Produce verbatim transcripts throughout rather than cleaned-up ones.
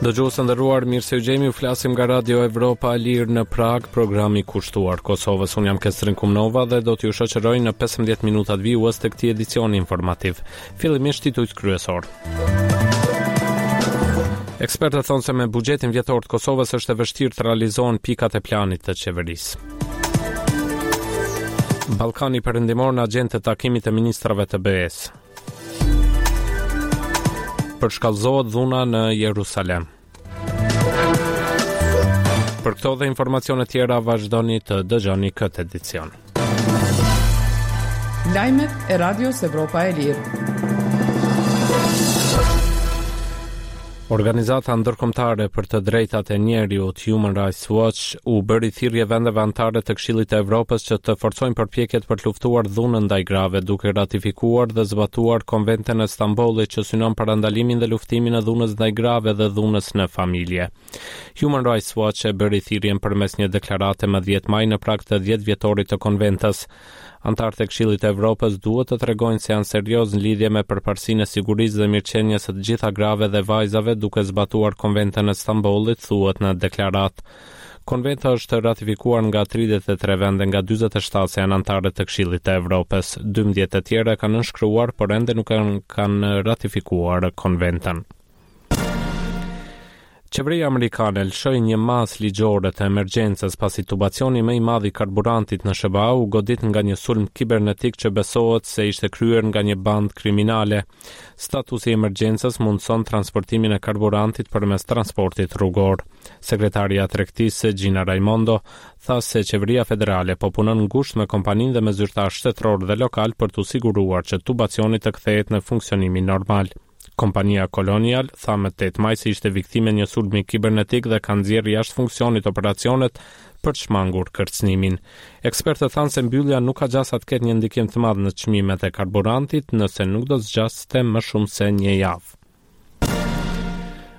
Dëgjues të nderuar, mirë se ju gjejmë, ju flasim nga Radio Evropa e Lirë në Prag, programi kushtuar Kosovës. Unë jam Kestrin Kumnova dhe do t'ju shoqëroj në pesëmbëdhjetë minutat vijues të këtij edicioni informativ. Fillimisht titujt kryesor. Ekspertët thonë se me buxhetin vjetor të Kosovës është e vështirë të realizohen pikat e planit të qeverisë. Ballkani Perëndimor në agjendë të takimit të ministrave të B E-së. Përshkallëzohet dhuna në Jerusalem. Për këto dhe informacione tjera vazhdoni të dëgjoni këtë edicion. Lajmet e Radios Evropa e Lirë. Organizata ndërkombëtare për të drejtat e njeriut, Human Rights Watch, u bëri thirrje vendeve anëtare të Këshillit të Evropës që të forcojnë përpjekjet për të luftuar dhunën ndaj grave, duke ratifikuar dhe zbatuar Konventën e Stambollit, që synon parandalimin dhe luftimin e dhunës ndaj grave dhe dhunës në familje. Human Rights Watch e bëri thirrjen përmes një deklarate më dhjetë maj, në prag të dhjetë vjetorit të konventës. Anëtarët e Këshillit të Evropës duhet të tregojnë se janë serioz në lidhje me përparësinë e sigurisë dhe mirëqenies së të gjitha grave dhe vajzave, duke zbatuar Konventën e Stambollit, thuhet në deklaratë. Konventa është ratifikuar nga tridhjetë e tre vende nga dyzet e shtatë që janë anëtare të Këshillit të Evropës. dymbëdhjetë të tjera kanë nënshkruar, por ende nuk kanë ratifikuar konventën. Qeveria amerikane lëshoi një masë ligjore të emergjencës pasi tubacioni më i madh i karburantit në S H B A u godit nga një sulm kibernetik që besohet se ishte kryer nga një bandë kriminale. Statusi i emergjencës mundëson transportimin e karburantit përmes transportit rrugor. Sekretarja e tregtisë, Gina Raimondo, tha se qeveria federale po punon ngushtë me kompaninë dhe me zyrtarë shtetëror dhe lokal për të siguruar që tubacioni të kthehet në funksionimin normal. Kompania Colonial tha më tetë maj se ishte viktime një sulmi kibernetik dhe ka nxjerrë jashtë funksionit operacionet për të shmangur kërcënimin. Ekspertët thanë se mbyllja nuk ka gjasa të ketë një ndikim të madh në çmimet e karburantit nëse nuk do të zgjaste më shumë se një javë.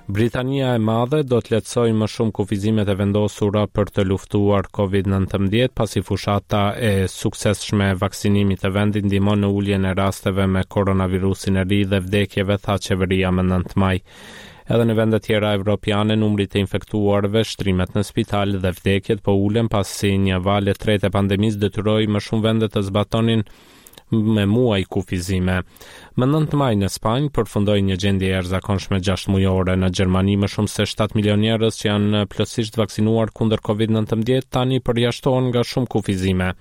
Britania e Madhe do të lehtësojë më shumë kufizimet e vendosura për të luftuar Covid nëntëmbëdhjetë, pasi fushata e suksesshme e vaksinimit të vendit ndihmon në uljen e rasteve me koronavirusin e ri dhe vdekjeve, tha qeveria më nëntë maj. Edhe në vende tjera evropiane, numri të infektuarve, shtrimet në spital dhe vdekjet po ulen, pasi një valë e tretë e pandemisë detyroi më shumë vende të zbatonin me muaj kufizime. Më nëntë maj në Spanjë përfundoi një gjendje e jashtëzakonshme gjashtë mujore. Në Gjermani, më shumë se shtatë milion njerëz që janë plotësisht vaksinuar kundër Covid nëntëmbëdhjetë tani përjashtohen nga shumë kufizime.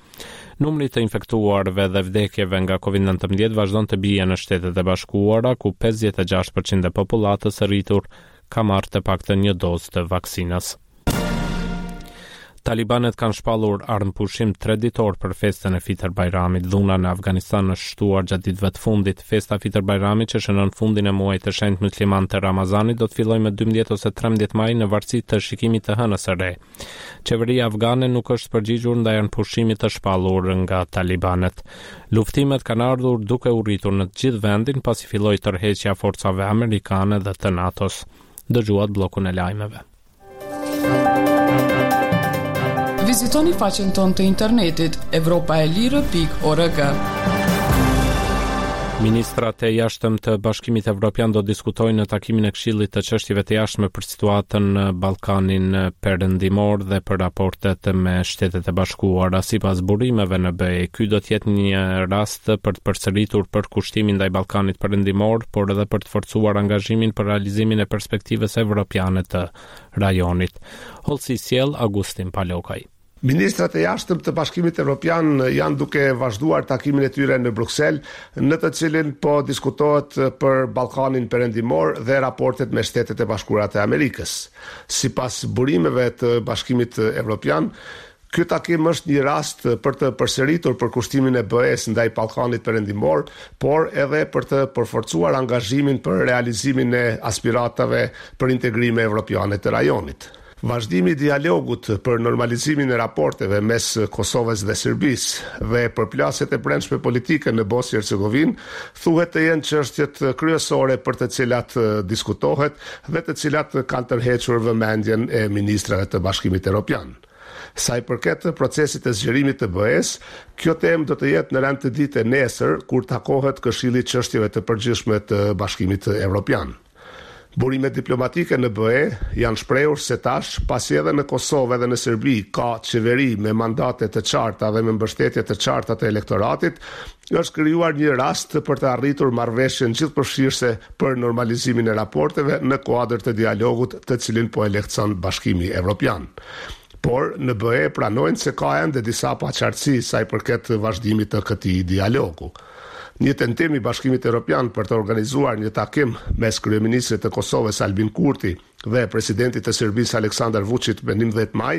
Numri të infektuarve dhe vdekjeve nga Covid nëntëmbëdhjetë vazhdon të bie në Shtetet e Bashkuara, ku pesëdhjetë e gjashtë për qind e popullatës së rritur ka marrë të paktën një dozë të vaksinës. Talibanët kanë shpallur armëpushim tre ditor për festën e Fitër Bajramit. Dhuna në Afganistan është shtuar gjatë ditëve të fundit. Festa Fitër Bajramit, që shënon fundin e muajit të shenjtë musliman të Ramazanit, do të fillojë më dymbëdhjetë ose trembëdhjetë maj, në varësi të shikimit të hënës së re. Qeveria afgane nuk është përgjigjur ndaj armëpushimit të shpallur nga talibanët. Luftimet kanë ardhur duke u rritur në të gjithë vendin pasi filloi tërheqja e forcave amerikane dhe të NATO-s. Dëgjuat bllokun e lajmeve. Vizitoni faqen tonë të internetit evropaelire pikë org. Ministrat e jashtëm të Bashkimit Evropian do të diskutojnë në takimin e Këshillit të Çështjeve të Jashtme për situatën në Ballkanin Perëndimor dhe për raportet me Shtetet e Bashkuara. Sipas burimeve në B E, ky do të jetë një rast për të përsëritur përkushtimin ndaj Ballkanit Perëndimor, por edhe për të forcuar angazhimin për realizimin e perspektivës evropiane të rajonit. Hollësi sjell Agustin Palokaj. Ministrat e jashtëm të Bashkimit Evropian janë duke vazhduar takimin e tyre në Bruksel, në të cilin po diskutohet për Ballkanin Perëndimor dhe raportet me Shtetet e Bashkuara të Amerikës. Sipas burimeve të Bashkimit Evropian, ky takim është një rast për të përsëritur përkushtimin e B E-s ndaj Ballkanit Perëndimor, por edhe për të përforcuar angazhimin për realizimin e aspiratave për integrime evropiane të rajonit. Vazhdimi i dialogut për normalizimin e raporteve mes Kosovës dhe Serbisë dhe përplasjet e brendshme politike në Bosnjë Hercegovinë thuhet të jenë çështjet kryesore për të cilat diskutohet dhe të cilat kanë tërhequr vëmendjen e ministrave të Bashkimit Evropian. Sa i përket procesit të zgjerimit të B E-s, kjo temë do të jetë në rend të ditë nesër, kur takohet Këshilli i Çështjeve të Përgjithshme të Bashkimit Evropian. Burimet diplomatike në B E janë shprehur se tash, pasi edhe në Kosovë edhe në Serbi ka qeveri me mandate të qarta dhe me mbështetje të qarta të elektoratit, është krijuar një rast për të arritur marrëveshjen gjithëpërfshirëse për normalizimin e raporteve në kuadër të dialogut të cilin po e lehtëson Bashkimi Evropian. Por në B E pranojnë se ka ende disa paqartësi sa i përket vazhdimit të këtij dialogu. Një tentim i Bashkimit Evropian për të organizuar një takim mes kryeministrit të Kosovës Albin Kurti dhe presidentit të Serbisë Aleksandar Vučić më njëmbëdhjetë maj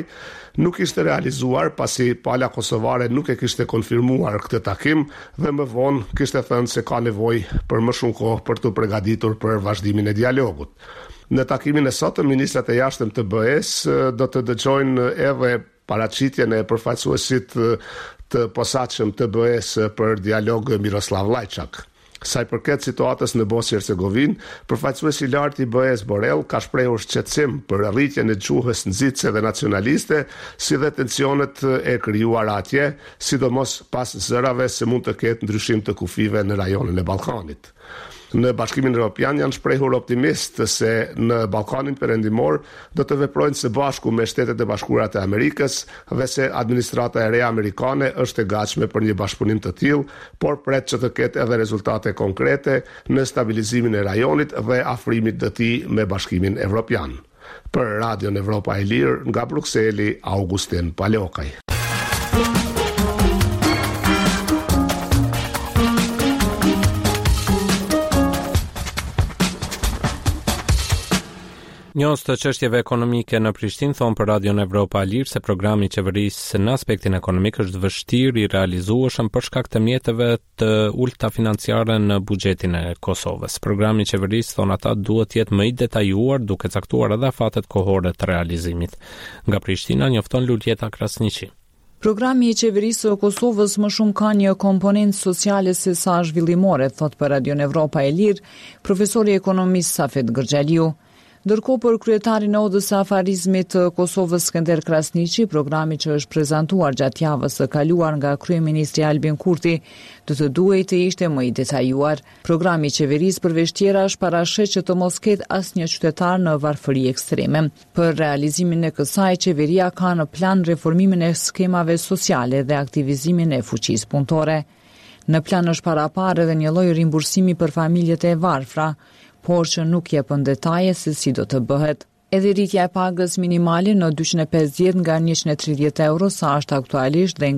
nuk ishte realizuar pasi pala kosovare nuk e kishte konfirmuar këtë takim dhe më vonë kishte thënë se ka nevojë për më shumë kohë për t'u përgatitur për vazhdimin e dialogut. Në takimin e sotëm, ministrat e jashtëm të B E-s do të dëgjojnë edhe paraqitjen e përfaqësuesit të posaçëm të B E-s për dialog Miroslav Lajçak. Sa i përket situatës në Bosnjë Hercegovinë, përfaqësuesi i lartë i B E-s Borrell ka shprehur shqetësim për rritjen e gjuhës nxitëse dhe nacionaliste, si dhe tensionet e krijuara atje, sidomos pas zërave se mund të ketë ndryshim të kufijve në rajonin e Ballkanit. Në Bashkimin Evropian janë shprehur optimist se në Ballkanin Perëndimor do të veprojnë së bashku me Shtetet e Bashkuara të Amerikës dhe se administrata e re amerikane është e gatshme për një bashkëpunim të tillë, por pret që të ketë edhe rezultate konkrete në stabilizimin e rajonit dhe afrimit të tij me Bashkimin Evropian. Për Radion Evropa e Lirë nga Brukseli, Augustin Palokaj. Njohës të çështjeve ekonomike në Prishtinë thonë për Radion Evropa e Lirë se programi i qeverisë në aspektin ekonomik është vështirë i realizueshëm për shkak të mjeteve të ulta financiare në buxhetin e Kosovës. Programi i qeverisë, thonë ata, duhet të jetë më i detajuar, duke caktuar edhe afatet kohore të realizimit. Nga Prishtina njofton Luljeta Krasniqi. Programi i qeverisë së Kosovës më shumë ka një komponent sociale se sa zhvillimore, thot për Radion Evropa e Lirë, profesori i ekonomisë Safet Gërxhaliu. Ndërkohë për kryetarin e Odës së Afarizmit të Kosovës Skënder Krasniqi, programi që është prezantuar gjatë javës së kaluar nga kryeministri Albin Kurti, do të duhej të ishte më i detajuar. Programi i qeverisë përveç tjerash parasheh që të mos ketë asnjë qytetar në varfëri ekstreme. Për realizimin e kësaj, qeveria ka në plan reformimin e skemave sociale dhe aktivizimin e fuqisë punëtore. Në plan është paraparë edhe një lloj rimbursimi për familjet e varfra, por që nuk jepën detaje se si do të bëhet. Edhe rritja e pagës minimale në dyqind e pesëdhjetë nga njëqind e tridhjetë euro sa është aktualisht dhe